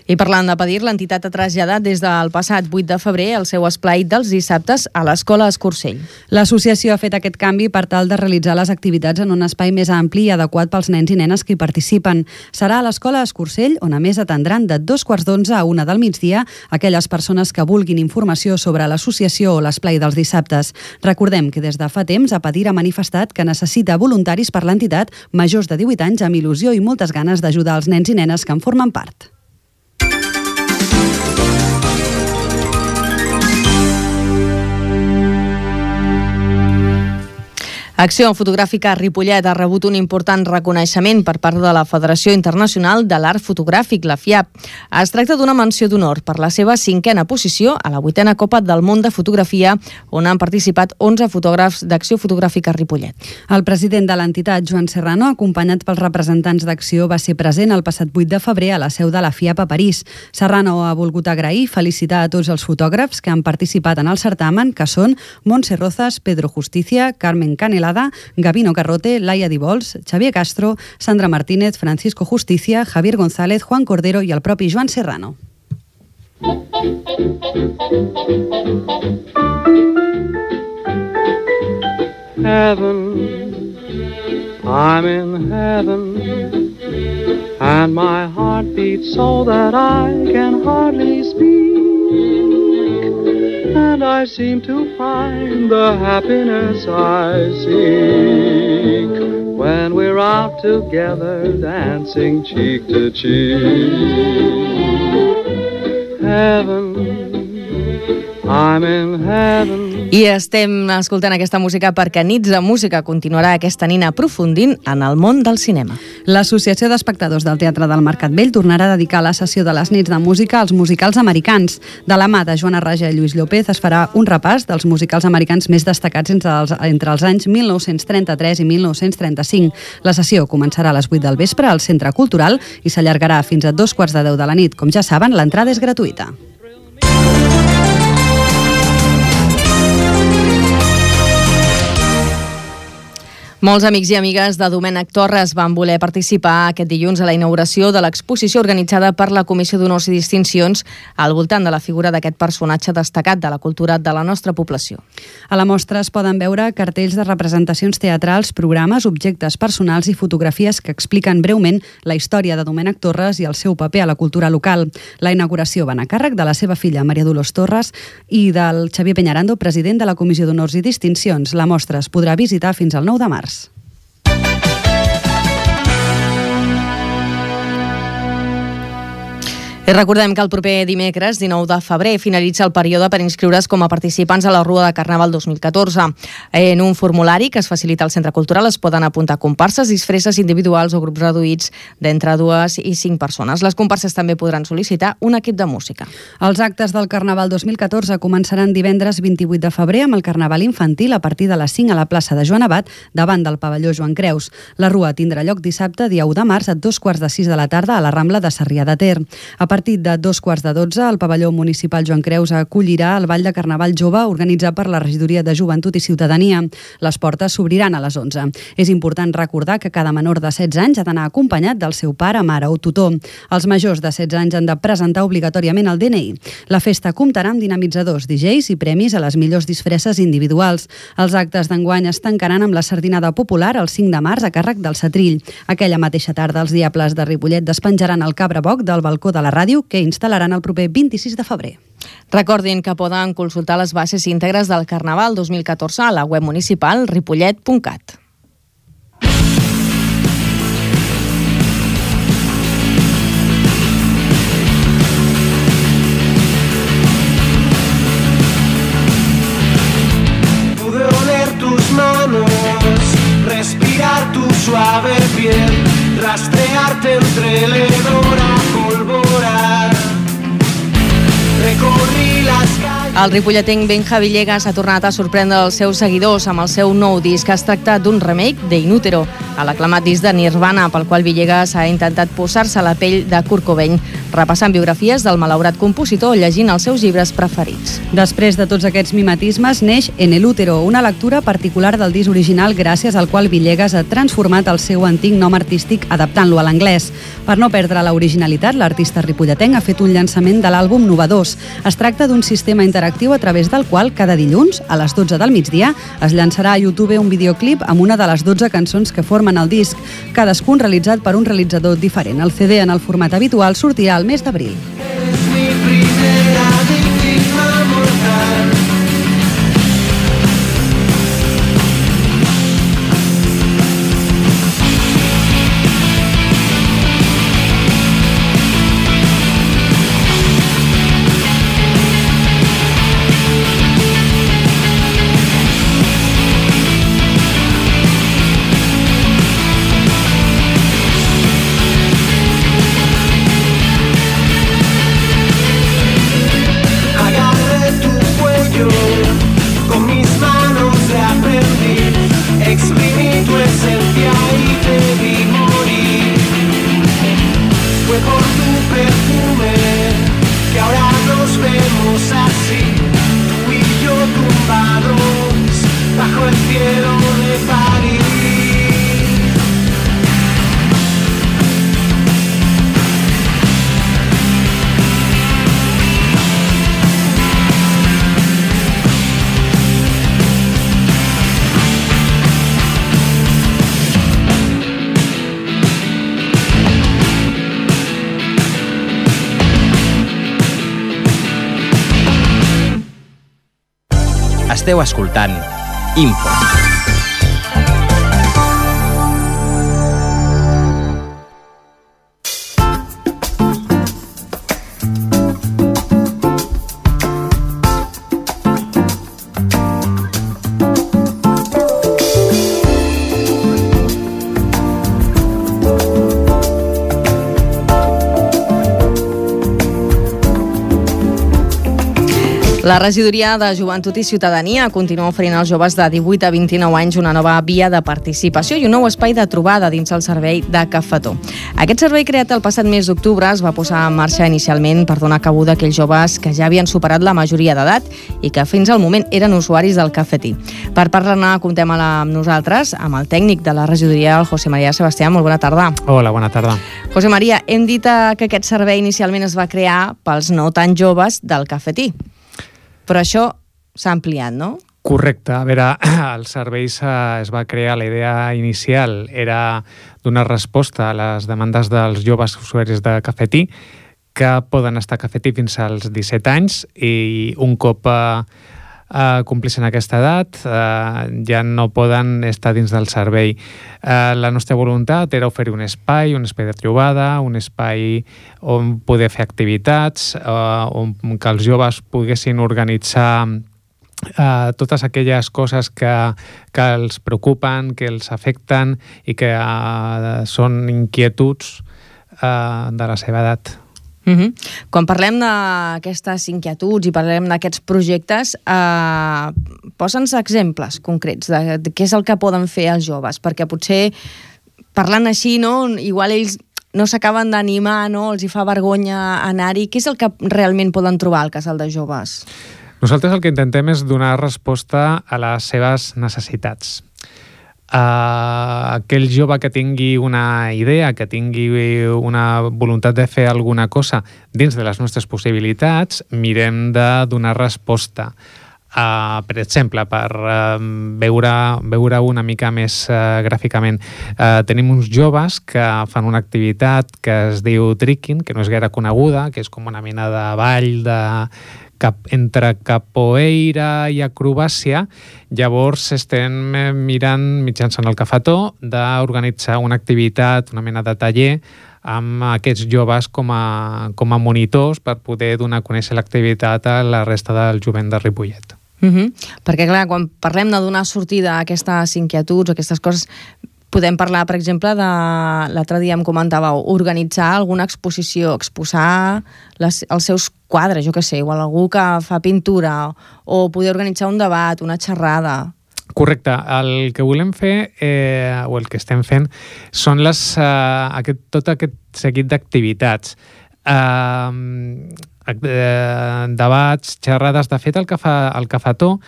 I parlant d'APADIR, l'entitat ha traslladat des del passat 8 de febrer el seu esplai dels dissabtes a l'Escola Escursell. L'associació ha fet aquest canvi per tal de realitzar les activitats en un espai més ampli i adequat pels nens i nenes que hi participen. Serà a l'Escola Escursell, on a més atendran de 2:15 a 1 del migdia aquelles persones que vulguin informació sobre l'associació o l'esplai dels dissabtes. Recordem que des de fa temps APADIR ha manifestat que necessita voluntaris per l'entitat majors de 18 anys amb il·lusió i moltes ganes d'ajudar els nens i nenes que en formen part. Acció Fotogràfica Ripollet ha rebut un important reconeixement per part de la Federació Internacional de l'Art Fotogràfic, la FIAP. Es tracta d'una menció d'honor per la seva 5a posició a la 8a Copa del Món de Fotografia, on han participat 11 fotògrafs d'Acció Fotogràfica Ripollet. El president de l'entitat, Joan Serrano, acompanyat pels representants d'Acció, va ser present el passat 8 de febrer a la seu de la FIAP a París. Serrano ha volgut agrair i felicitar a tots els fotògrafs que han participat en el certamen, que són Montse Rozas, Pedro Justicia, Carmen Canelada, Gabino Carrote, Laia Dibols, Xavier Castro, Sandra Martínez, Francisco Justicia, Javier González, Juan Cordero i el propi Joan Serrano. Heaven, I'm in heaven, and my heart beats so that I can hardly speak. And I seem to find the happiness I seek when we're out together dancing cheek to cheek. Heaven, I'm in heaven. I estem escoltant aquesta música perquè Nits de Música continuarà aquesta nit aprofundint en el món del cinema. L'Associació d'Espectadors del Teatre del Mercat Vell tornarà a dedicar la sessió de les Nits de Música als musicals americans. De la mà de Joana Raja i Lluís López es farà un repàs dels musicals americans més destacats entre els anys 1933 i 1935. La sessió començarà a les 8 del vespre al Centre Cultural i s'allargarà fins a 2:15 de la nit. Com ja saben, l'entrada és gratuïta. Molts amics i amigues de Domènec Torres van voler participar aquest dilluns a la inauguració de l'exposició organitzada per la Comissió d'Honors i Distincions al voltant de la figura d'aquest personatge destacat de la cultura de la nostra població. A la mostra es poden veure cartells de representacions teatrals, programes, objectes personals i fotografies que expliquen breument la història de Domènec Torres i el seu paper a la cultura local. La inauguració va anar a càrrec de la seva filla Maria Dolors Torres i del Xavier Peñarando, president de la Comissió d'Honors i Distincions. La mostra es podrà visitar fins al 9 de març. I recordem que el proper dimecres, 19 de febrer, finalitza el període per inscriure's com a participants a la Rua de Carnaval 2014. En un formulari que es facilita al Centre Cultural es poden apuntar comparses, disfresses individuals o grups reduïts d'entre 2 i 5 persones. Les comparses també podran sol·licitar un equip de música. Els actes del Carnaval 2014 començaran divendres 28 de febrer amb el Carnaval infantil a partir de les 5 a la plaça de Joan Abat, davant del pavelló Joan Creus. La Rua tindrà lloc dissabte, dia 1 de març, a 2:15 de la tarda a la Rambla de Sarrià de Ter. A partir de 2:15, el pavelló municipal Joan Creus acollirà el Ball de Carnaval Jove organitzat per la Regidoria de Joventut i Ciutadania. Les portes s'obriran a les 11. És important recordar que cada menor de 16 anys ha d'anar acompanyat del seu pare, mare o tutor. Els majors de 16 anys han de presentar obligatòriament el DNI. La festa comptarà amb dinamitzadors, DJs i premis a les millors disfresses individuals. Els actes d'enguany es tancaran amb la sardinada popular el 5 de març a càrrec del Setrill. Aquella mateixa tarda els Diables de Ripollet despenjaran el cabraboc del balcó de la ràdio que instal·laran el proper 26 de febrer. Recordin que poden consultar les bases íntegres del Carnaval 2014 a la web municipal ripollet.cat. Pude oler tus manos, respirar tu suave piel, rastrearte entre el hedor a polvorar. Recorrí las calles. El ripolletenc Benja Villegas ha tornat a sorprendre els seus seguidors amb el seu nou disc. Es tracta d'un remake de In Utero, a l'aclamat disc de Nirvana, pel qual Villegas ha intentat posar-se a la pell de Kurt Cobain, repassant biografies del malaurat compositor, llegint els seus llibres preferits. Després de tots aquests mimetismes, neix En el Útero, una lectura particular del disc original gràcies al qual Villegas ha transformat el seu antic nom artístic adaptant-lo a l'anglès. Per no perdre l'originalitat, l'artista ripolletenc ha fet un llançament de l'àlbum Novadors. Es tracta d'un sistema interactiu a través del qual cada dilluns, a les 12 del migdia, es llançarà a YouTube un videoclip amb una de les 12 cançons que formen el disc, cadascun realitzat per un realitzador diferent. El CD en el format habitual sortirà al mes d'abril. Eres mi primera víctima mortal. Esteu escoltant Info. La regidoria de Joventut i Ciutadania continua oferint als joves de 18 a 29 anys una nova via de participació i un nou espai de trobada dins el servei de Cafetó. Aquest servei, creat el passat mes d'octubre, es va posar en marxa inicialment per donar cabuda a aquells joves que ja havien superat la majoria d'edat i que fins al moment eren usuaris del cafetí. Per parlar-ne, comptem amb nosaltres, amb el tècnic de la regidoria, el José María Sebastián. Molt bona tarda. Hola, bona tarda. José María, hem dit que aquest servei inicialment es va crear pels no tan joves del cafetí. Però això s'ha ampliat, no? Correcte. A veure, el servei es va crear, la idea inicial era donar resposta a les demandes dels joves usuaris de cafetí que poden estar a cafetí fins als 17 anys i un cop complissin aquesta edat ja no poden estar dins del servei. La nostra voluntat era oferir un espai de trobada, un espai on poder fer activitats, on que els joves poguessin organitzar totes aquelles coses que els preocupen, que els afecten i que són inquietuds de la seva edat. Quan parlem d'aquestes inquietuds i parlem d'aquests projectes, posa'ns exemples concrets de què és el que poden fer els joves, perquè potser parlant així, no, igual ells no s'acaben d'animar, no, els hi fa vergonya anar-hi. Què és el que realment poden trobar al casal de joves? Nosaltres el que intentem és donar resposta a les seves necessitats. Aquell jove que tingui una idea, que tingui una voluntat de fer alguna cosa dins de les nostres possibilitats, mirem de donar resposta. Per exemple, per veure una mica més gràficament, tenim uns joves que fan una activitat que es diu tricking, que no és gaire coneguda, que és com una mena de ball entre capoeira i acrobàcia. Llavors estem mirant mitjançant el Cafetó d'organitzar una activitat, una mena de taller amb aquests joves com a monitors per poder donar a conèixer l'activitat a la resta del jovent de Ripollet. Perquè clar, quan parlem de donar sortida a aquestes inquietuds, a aquestes coses, podem parlar, per exemple, l'altre dia em comentàveu, organitzar alguna exposició, exposar els seus quadres, jo què sé, igual algú que fa pintura, o poder organitzar un debat, una xerrada. Correcte. El que volem fer, o el que estem fent, són tot aquest seguit d'activitats. Debats, xerrades. De fet, el Cafetó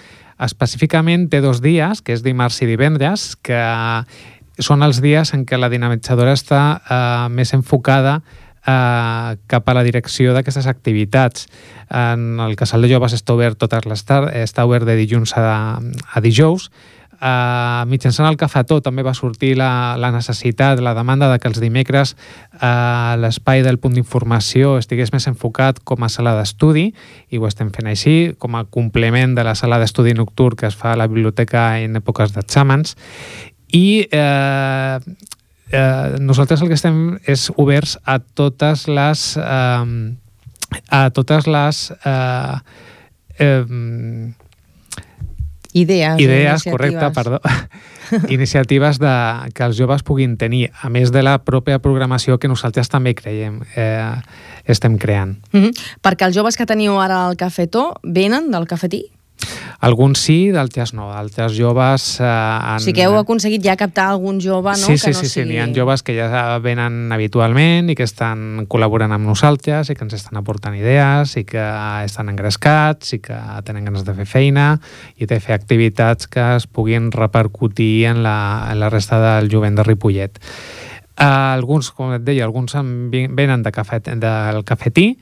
específicament té 2 dies, que és dimarts i divendres, que són els dies en què la dinamitzadora està més enfocada cap a la direcció d'aquestes activitats. En el casal de joves està obert totes les tardes, està obert de dilluns a dijous. Mitjançant el Cafetó també va sortir la necessitat, la demanda de que els dimecres l'espai del punt d'informació estigués més enfocat com a sala d'estudi, i ho estem fent així, com a complement de la sala d'estudi nocturn que es fa a la biblioteca en èpoques d'exàmens. I nosaltres el que estem és oberts a totes les idees, correcte, perdó, iniciatives que els joves puguin tenir, a més de la pròpia programació que nosaltres també estem creant. Perquè els joves que teniu ara al Cafetó venen del cafetí? Alguns sí, d'altres no. D'altres joves... O sigui que heu aconseguit ja captar algun jove, no? Sí, n'hi ha joves que ja venen habitualment i que estan col·laborant amb nosaltres i que ens estan aportant idees i que estan engrescats i que tenen ganes de fer feina i de fer activitats que es puguin repercutir en la resta del jovent de Ripollet. Alguns, com et deia, alguns venen del cafetí,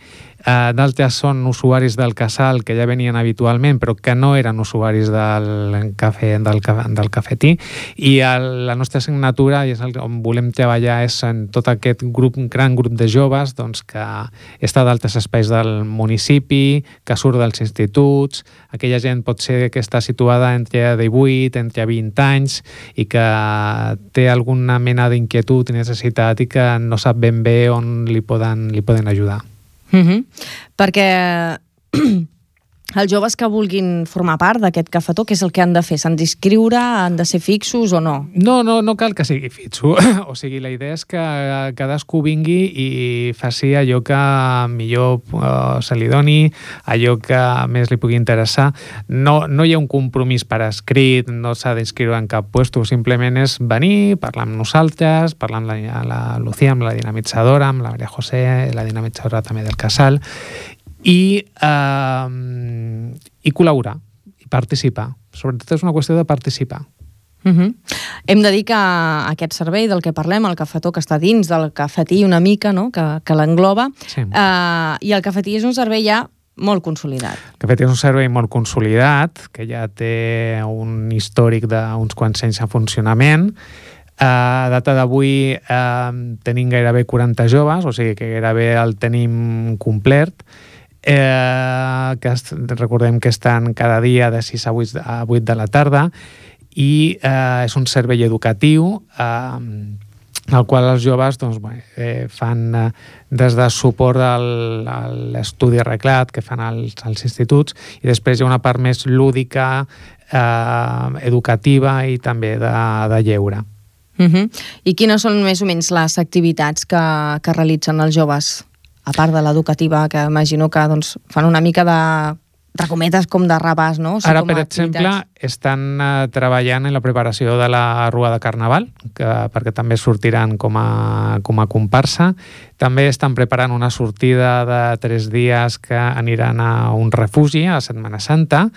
d'altres són usuaris del casal que ja venien habitualment però que no eren usuaris del cafetí, i la nostra assignatura, i és on volem treballar, és en tot aquest gran grup de joves que està d'altres espais del municipi, que surt dels instituts, aquella gent pot ser que està situada entre 18, entre 20 anys i que té alguna mena d'inquietud i necessitat i que no sap ben bé on li poden ajudar. Perquè els joves que vulguin formar part d'aquest cafetó, què és el que han de fer? S'han d'inscriure? Han de ser fixos o no? No cal que sigui fixo. O sigui, la idea és que cadascú vingui i faci allò que millor se li doni, allò que més li pugui interessar. No hi ha un compromís per escrit, no s'ha d'inscriure en cap puesto, simplement és venir, parlar amb nosaltres, parlar amb la Lucía, amb la dinamitzadora, amb la Maria José, la dinamitzadora també del casal, i col·laborar, i participar. Sobretot és una qüestió de participar. Hem de dir que aquest servei del que parlem, el cafetó que està dins del cafetí una mica, no? que l'engloba, sí. I el cafetí és un servei ja molt consolidat. El cafetí és un servei molt consolidat, que ja té un històric d'uns quants anys en funcionament. A data d'avui tenim gairebé 40 joves, o sigui que gairebé el tenim complet. Que recordem que estan cada dia de 6 a 8 de la tarda, i és un servei educatiu al qual els joves fan des de suport a l'estudi arreglat que fan als instituts, i després hi ha una part més lúdica, educativa i també de lleure. I quines són més o menys les activitats que realitzen els joves? A part de l'educativa, que imagino que fan una mica de cometes com de rabàs, no? Ara, per exemple, estan treballant en la preparació de la Rua de Carnaval, perquè també sortiran com a comparsa. També estan preparant una sortida de 3 dies que aniran a un refugi a Setmana Santa,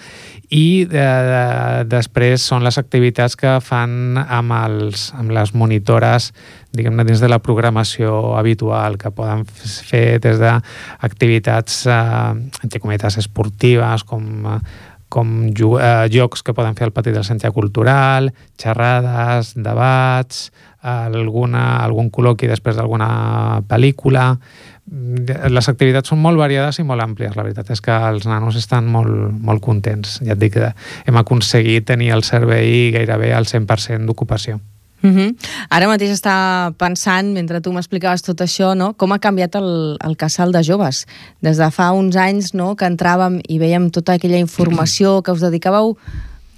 i després són les activitats que fan amb les monitores, diguem-ne, dins de la programació habitual, que poden fer des d'activitats, entre cometes, esportives, com jocs que poden fer al pati del centre cultural, xerrades, debats, algun col·loqui després d'alguna pel·lícula. Les activitats són molt variades i molt àmplies. La veritat és que els nanos estan molt contents. Ja et dic que hem aconseguit tenir el servei gairebé al 100% d'ocupació. Ara mateix està pensant, mentre tu m'explicaves tot això, no? Com ha canviat el casal de joves. Des de fa uns anys, no?, que entràvem i vèiem tota aquella informació, que us dedicàveu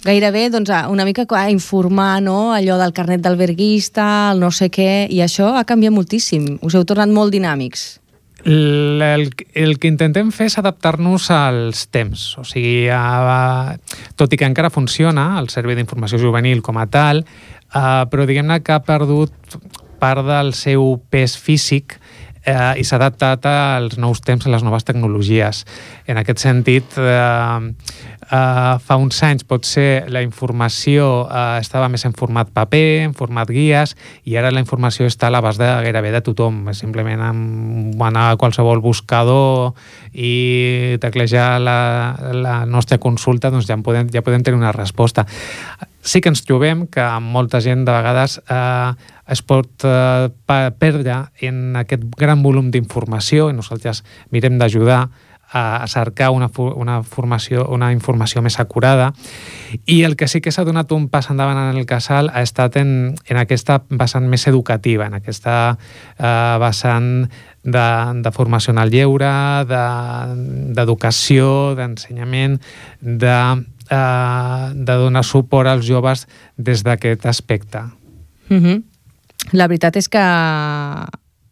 gairebé una mica a informar, no?, allò del carnet d'alberguista, el no sé què, i això ha canviat moltíssim. Us heu tornat molt dinàmics. El que intentem fer és adaptar-nos als temps. O sigui, tot i que encara funciona el Servei d'Informació Juvenil com a tal, però diguem-ne que ha perdut part del seu pes físic i s'ha adaptat als nous temps, a les noves tecnologies. En aquest sentit, fa uns anys potser la informació estava més en format paper, en format guies, i ara la informació està a l'abast gairebé de tothom. Simplement anar a qualsevol buscador i teclejar la nostra consulta, doncs ja podem tenir una resposta. Sí que ens trobem que molta gent de vegades es pot perdre en aquest gran volum d'informació, i nosaltres mirem d'ajudar a cercar una informació més acurada. I el que sí que s'ha donat un pas endavant en el casal ha estat en aquesta vessant més educativa, en aquesta vessant de formació en el lleure, d'educació, d'ensenyament, de donar suport als joves des d'aquest aspecte. La veritat és que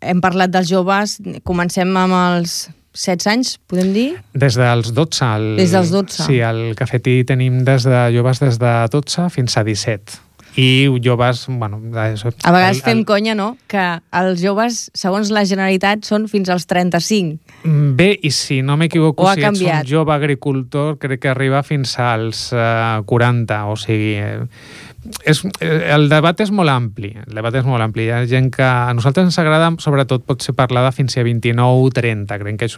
hem parlat dels joves, comencem amb els 16 anys, podem dir? Des dels 12. Des dels 12. Sí, al cafetí tenim joves des de 12 fins a 17. i joves... Bueno, a vegades fem conya, no?, que els joves, segons la Generalitat, són fins als 35. Bé, i si no m'equivoco, si ets un canviat? jove agricultor, crec que arriba fins als 40, o sigui... el debat és molt ampli. Hi ha gent que a nosaltres ens agrada, sobretot, pot ser parlada fins a 29 o 30. Crec que és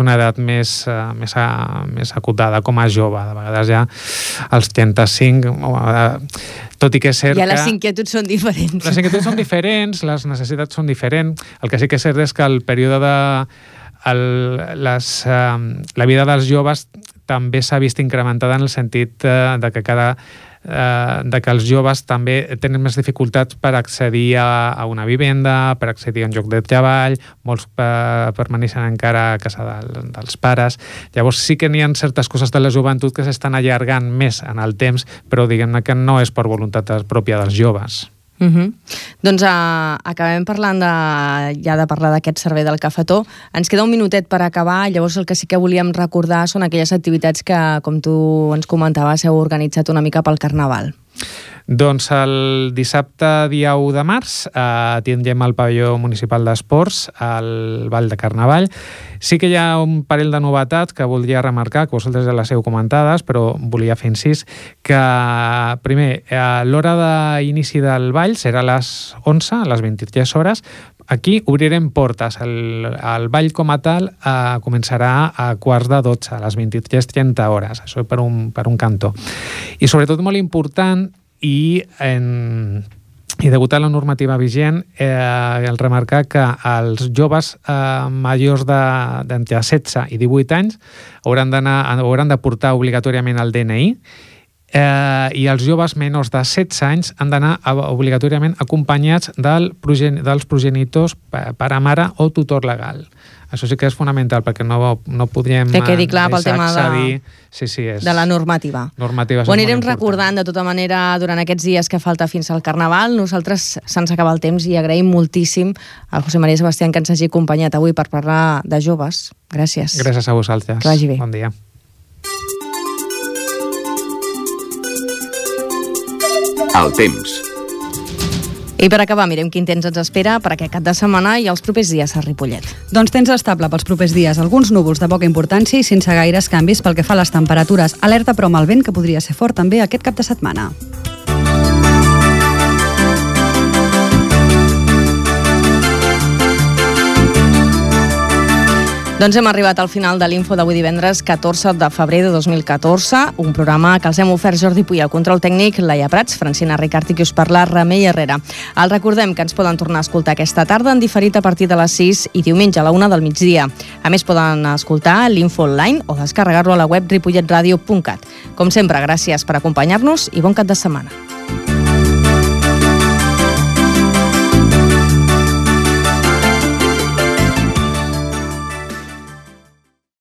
una edat més acotada com a jove. De vegades ja als 35, tot i que és cert que... Ja les inquietuds són diferents. Les inquietuds són diferents, les necessitats són diferents. El que sí que és cert és que el període la vida dels joves també s'ha vist incrementada en el sentit de que els joves també tenen més dificultats per accedir a una vivenda, per accedir a un lloc de treball, molts permaneixen encara a casa dels pares. Llavors sí que n'hi ha certes coses de la joventut que s'estan allargant més en el temps, però diguem-ne que no és per voluntat pròpia dels joves. Doncs acabem parlant de parlar d'aquest servei del cafetó. Ens queda un minutet per acabar. Llavors el que sí que volíem recordar són aquelles activitats que, com tu ens comentaves, heu organitzat una mica pel Carnaval. Doncs el dissabte dia 1 de març tindrem el pavelló municipal d'esports al Ball de Carnaval. Sí que hi ha un parell de novetats que voldria remarcar, que vosaltres ja les heu comentades, però volia fer incís, que primer, l'hora d'inici del ball serà a les 11, a les 23 hores. Aquí obrirem portes. El ball com a tal començarà a 11:45, a les 23:30 hores. Això per un cantó. I sobretot molt important, i degut a la normativa vigent, el remarcar que els joves majors d'entre 16 i 18 anys hauran de portar obligatòriament el DNI, i els joves menors de 16 anys han d'anar obligatòriament acompanyats dels progenitors, pare, mare o tutor legal. Això sí que és fonamental, perquè no podríem que quedi clar pel tema accedir... de la normativa. Ho anirem recordant de tota manera durant aquests dies que falta fins al Carnaval. Nosaltres se'ns acaba el temps i agraïm moltíssim al José María Sebastián que ens hagi acompanyat avui per parlar de joves. Gràcies. Gràcies a vosaltres. Que vagi bé. Bon dia. El temps. I per acabar, mirem quin temps ens espera per aquest cap de setmana i els propers dies a Ripollet. Doncs temps estable pels propers dies. Alguns núvols de poca importància i sense gaires canvis pel que fa a les temperatures. Alerta però amb el vent, que podria ser fort també aquest cap de setmana. Doncs hem arribat al final de l'Info d'avui divendres 14 de febrer de 2014, un programa que els hem ofert Jordi Puy, el control tècnic, Laia Prats, Francina Ricart i qui us parla, Remei Herrera. Els recordem que ens poden tornar a escoltar aquesta tarda en diferit a partir de les 6 i diumenge a la 1 del migdia. A més, poden escoltar l'Info online o descarregar-lo a la web ripolletradio.cat. Com sempre, gràcies per acompanyar-nos i bon cap de setmana.